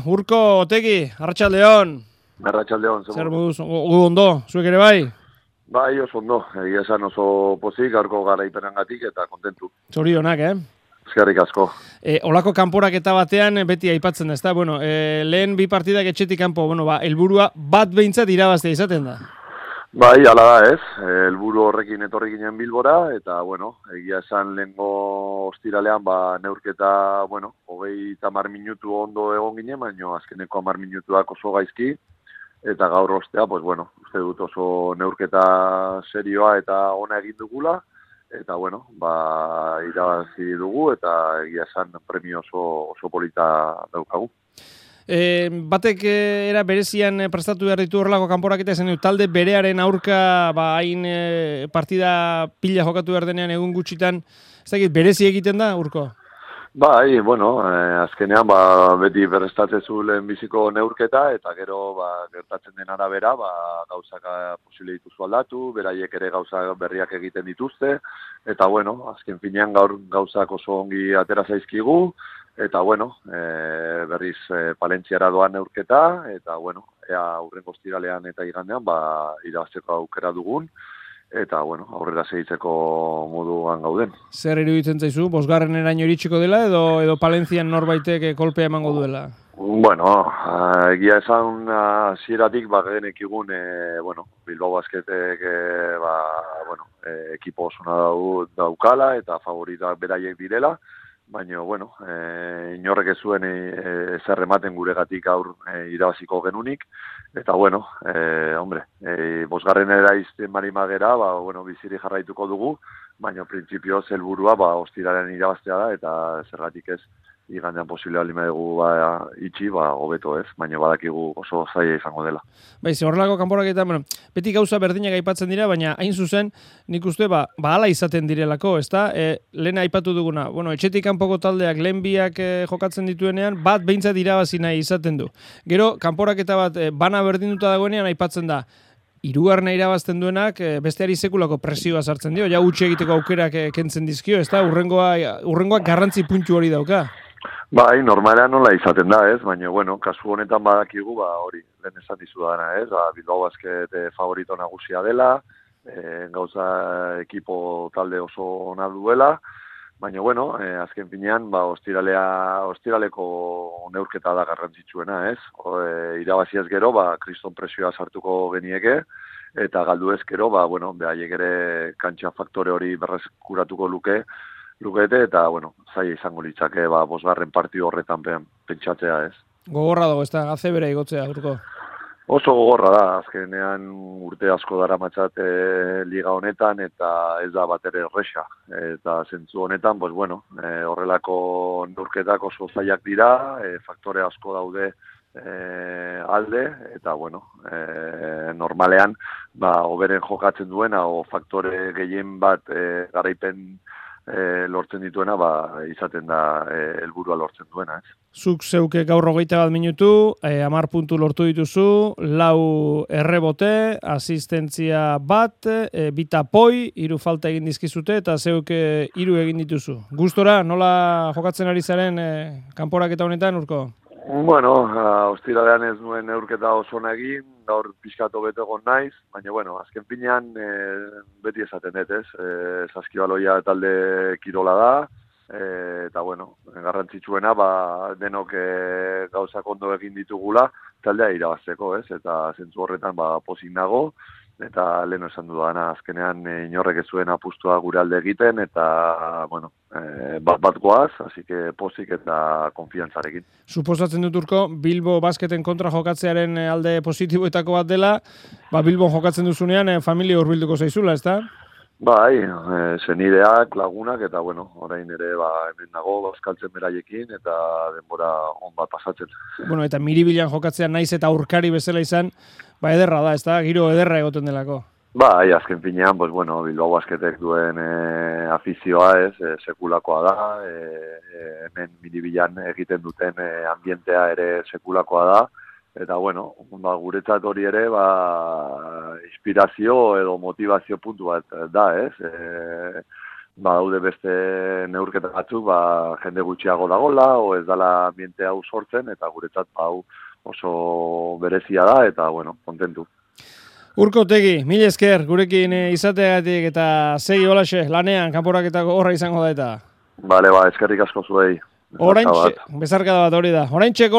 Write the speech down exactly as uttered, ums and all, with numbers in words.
Urko, Otegi, Arratsaldeon. Arratsaldeon, zer moduz, gu ondo, zuek ere bai? Bai, oso ondo, egia esan oso pozik, gaurko garaipenengatik eta kontentu. Zorionak, eh? Eskerrik asko. E, olako kanporaketa batean beti aipatzen da, ezta? Bueno, e, lehen bi partidak etxetik kanpo, bueno, ba, helburua bat behintzat irabaztea izaten da. Bai, hala da ez, helburu horrekin etorri ginen Bilbora, eta, bueno, egia esan lehengo ostiralean, ba, neurketa, bueno, hogei tamar minutu ondo egon ginen, baina azkeneko hamar minutuak oso gaizki, eta gaur ostea, pues bueno, uste dut oso neurketa serioa eta ona egin dugula, eta bueno, ba, irabazi dugu, eta egia esan premio oso, oso polita daukagu. E, batek era berezian prestatu behar ditu horrelako kanporaketa esan du, talde berearen aurka ba, hain e, partida pila jokatu behar denean egun gutxitan, ez dakit, berezi egiten da, Urko? Bai, bueno, eh, azkenean ba, beti berrestatzezu lehen biziko neurketa, eta gero ba, gertatzen den arabera, ba, gauzak posible dituzu aldatu, beraiek ere gauza berriak egiten dituzte, eta bueno, azken finean gaur gauzak oso ongi atera zaizkigu, eta bueno, e, berriz e, Palentziara doan neurketa, eta bueno, ea hurrengo ostiralean eta igandean ba, irabazteko aukera dugun, eta bueno, aurrera segitzeko moduan gauden. Zer iruditzen zaizu, bosgarren eraino iritsiko dela, edo edo Palentzian norbaitek kolpea emango duela? Bueno, egia esan hasieratik ba genekigun e, bueno, Bilbao Basketek e, ba, bueno, e, ekipo osona daukala eta favoritak beraiek direla, baina, bueno, e, inorrek ez zuen ezer ematen guregatik aur e, irabaziko genunik, eta, bueno, e, hombre, e, bosgarren eraizten marimagera, ba, bueno, biziri jarraituko dugu, baina, printzipioz, helburua, ba, ostiraren irabaztea da, eta zergatik ez, igandean posible alima dugu ba, itxi, ba, hobeto ez, baina badakigu oso zaila izango dela. Bai, ze horrelako kanporaketa, bueno, beti gauza berdinak aipatzen dira, baina hain zuzen, nik uste, ba, ba hala izaten direlako, ezta? E, lehen aipatu duguna, bueno, etxetik kanpoko taldeak lehen biak e, jokatzen dituenean, bat behintzat irabazi nahi izaten du. Gero, kanporaketa bat e, bana berdinduta dagoenean aipatzen da, hirugarrena irabazten duenak e, besteari sekulako presioa sartzen dio, ja utzi egiteko aukerak e, kentzen dizkio, ezta? Urrengoa, urrengoa garrantzi puntu hori dauka. Bai, normalean nola izaten da, ez? Baina, bueno, kasu honetan badakigu, ba, hori, lehen esan dizu dana, ez? Ba, Bilbao Basket favorito nagusia dela, e, gauza ekipo talde oso ona duela, baina, bueno, e, azken finean, ba, ostiralea, ostiraleko neurketa da garrantzitsuena, ez? O, e, irabaziaz gero, ba, kriston presioa sartuko genieke, eta galdu ez gero, ba, bueno, behaiek ere kantxa faktore hori berreskuratuko luke, lukete, eta, bueno, zaila izango litzake, ba, bosgarren partio horretan pentsatzea ez. Gogorra dago, ez da, haze bera igotzea, Urko? Oso gogorra da, azkenean urte asko dara matxat e, liga honetan, eta ez da bat ere erresa. Eta zentzu honetan, pues, bueno, e, horrelako neurketak oso zailak dira, e, faktore asko daude e, alde, eta, bueno, e, normalean, ba, oberen jokatzen duena, o faktore gehien bat e, garaipen E, lortzen dituena, ba, izaten da e, helburua lortzen duena, ez? Zuk zeuke gaur hogeita bat minutu, e, amar puntu lortu dituzu, lau errebote, asistentzia bat, e, bita poi, hiru falta egin dizkizute, eta zeuke hiru egin dituzu. Gustora, nola jokatzen ari zaren e, kanporaketa honetan, Urko? Bueno, ostiralean ez nuen neurketa oso egin, gaur pixkatu beto egon naiz, baina, bueno, azken finean e, beti esaten dut, ez? E, Saskibaloia talde kirola da, e, eta, bueno, garrantzitsuena, ba, denok e, gauzak ondo egin ditugula, taldea irabazteko, ez? Eta zentzu horretan, ba, pozik nago, eta lehen esan dudana, azkenean e, inorrek ez zuen apustua gure alde egiten, eta, bueno, e, bat bat goaz, así que pozik eta konfiantzarekin. Suposatzen dut, Urko, Bilbo Basketen kontra jokatzearen alde positiboetako bat dela, ba, Bilbon jokatzen duzunean e, familia hurbilduko zaizula, ezta? Bai, e, senideak, lagunak, eta, bueno, orain ere, ba, hemen nago, bazkaltzen beraiekin, eta denbora on bat pasatzen. Bueno, eta miribilan jokatzean naiz eta aurkari bezala izan, ba, ederra da, ezta? Giro ederra egoten delako. Bai, azken finean, pues, bueno, Bilbao Basketek duen e, afizioa ez, e, sekulakoa da, e, e, hemen miribilan egiten duten e, ambientea ere sekulakoa da, eta, bueno, ba, guretzat hori ere, ba, inspirazio edo motivazio puntu bat da, ez? E, ba, daude beste neurketa batzuk, ba, jende gutxiago dagola, o ez dala ambiente hau sortzen, eta guretzat ba, hau oso berezia da, eta, bueno, kontentu. Urko Otegi, mil esker, gurekin izateagatik eta segi holaxe, lanean, kanporaketako horra izango da eta. Bale, ba, eskerrik asko zuei. Oraintxe, bezarkada bat hori da. Oraintxe